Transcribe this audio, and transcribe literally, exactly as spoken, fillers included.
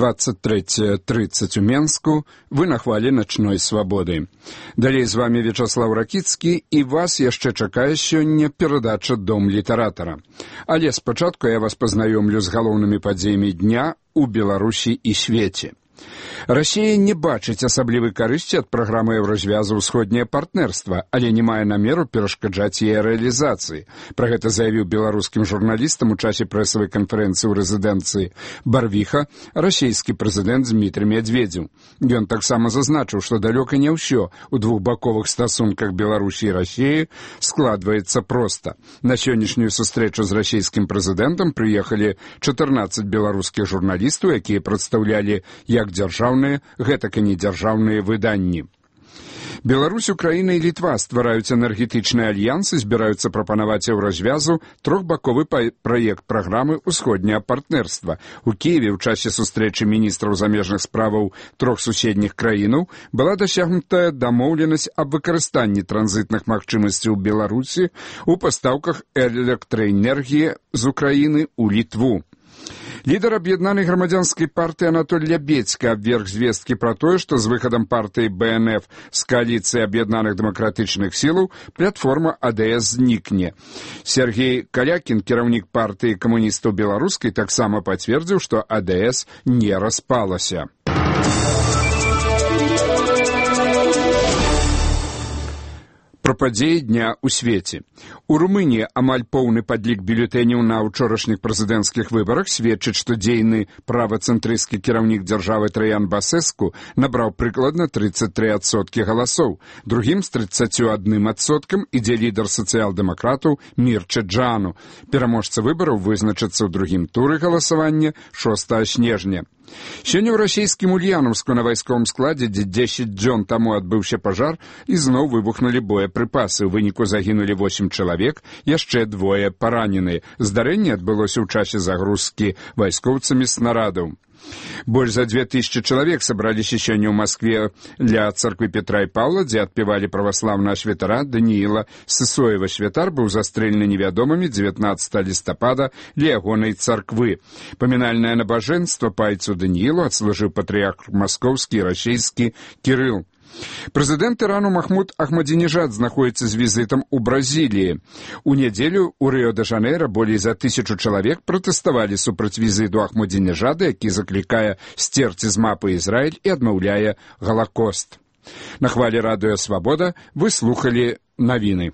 двадцать третье тридцать у Менску. Вы на хвалі начной свабоды. Далей з вами Вячаслав Ракіцкі, і вас яшчэ чакае сёння перадача «Дом літаратара». Але спачатку я вас пазнаёмлю з галоўнымі падзеямі дня ў Беларусі і свеце. Расія не бачыць асаблівай карысці ад праграмы еўразвязу «Усходняе партнерства», але не мае намеру перашкаджаць яе рэалізацыі. Пра гэта заявіў беларускім журналістам у часе прэсавай канферэнцыі ў рэзідэнцыі Барвіха расійскі прэзідэнт Дмітрый Медведзеў. Ён таксама зазначыў, што далёка не ўсё ў двухбаковых стасунках Беларусі і Расіі складваецца проста. На сённяшнюю сустрэчу з расійскім прэзідэнтам прыехалі чатырнаццаць беларускіх журналістаў, якія прадстаўлялі як дзяржаўныя, гэтак і недзяржаўныя выданні. Беларусь, Украіна і Літва ствараюць энергетычны альянс і збіраюцца прапанаваць еўразвязу трохбаковы праект праграмы «Усходняе партнерства». У Кіеве ў часе сустрэчы міністраў замежных справаў трох суседніх краінаў была дасягнутая дамоўленасць аб выкарыстанні транзітных магчымасцяў Беларусі ў пастаўках электраэнергіі з Украіны ў Літву. Лідар аб'яднанай грамадзянскай партыі Анатоль Лябедзька абверг звесткі пра тое, што з выхадам партыі Бэ Эн Эф з кааліцыі аб'яднаных дэмакратычных сілаў платформа А Дэ Эс знікне. Сергей Калякін, кіраўнік партыі камуністаў беларускай, таксама пацвердзіў, што А Дэ Эс не распалася. Пра падзеі дня ў свеце. У Румыніі амаль поўны падлік бюлетэняў на ўчорашніх прэзідэнцкіх выбарах сведчыць, што дзейны правацэнтрысцкі кіраўнік дзяржавы Траян Басэску набраў прыкладна тридцать три адсоткі галасоў. Другім з тридцатью адным адсоткам ідзе лідар сацыял-дэмакратаў Мірча Джану. Пераможца выбараў вызначыцца ў другім туры галасавання шостага снежня. Сёння ў расійскім Ульянаўску на вайсковым складзе, дзе дзесяць дзён таму адбыўся пажар, ізноў выбухнулі боепрыпасы. У выніку загінулі восем чалавек, яшчэ двое параненыя. Здарэнне адбылося ў часе загрузкі вайскоўцамі снарадаў. Больш за две тысячи чалавек сабраліся сёння ў Маскве ля царквы Петра і Паўла, дзе адпявалі праваслаўнага святара Данііла Сысоева. Святар быў застрэлены невядомымі дзевятнаццатага лістапада ля ягонай царквы. Памінальнае набажэнства пайцу Даніілу адслужыў патрыярх маскоўскі і расійскі Кірыл. Прэзідэнт Ірану Махмуд Ахмадзінежад знаходзіцца з візітам у Бразіліі. У нядзелю ў Рыё-дэ-Жанэйра болей за тысячу чалавек пратэставалі супраць візіту Ахмадзінежада, які заклікае сцерці з мапы Ізраіль і адмаўляе Галакост. На хвалі радыё «Свабода» вы слухалі навіны.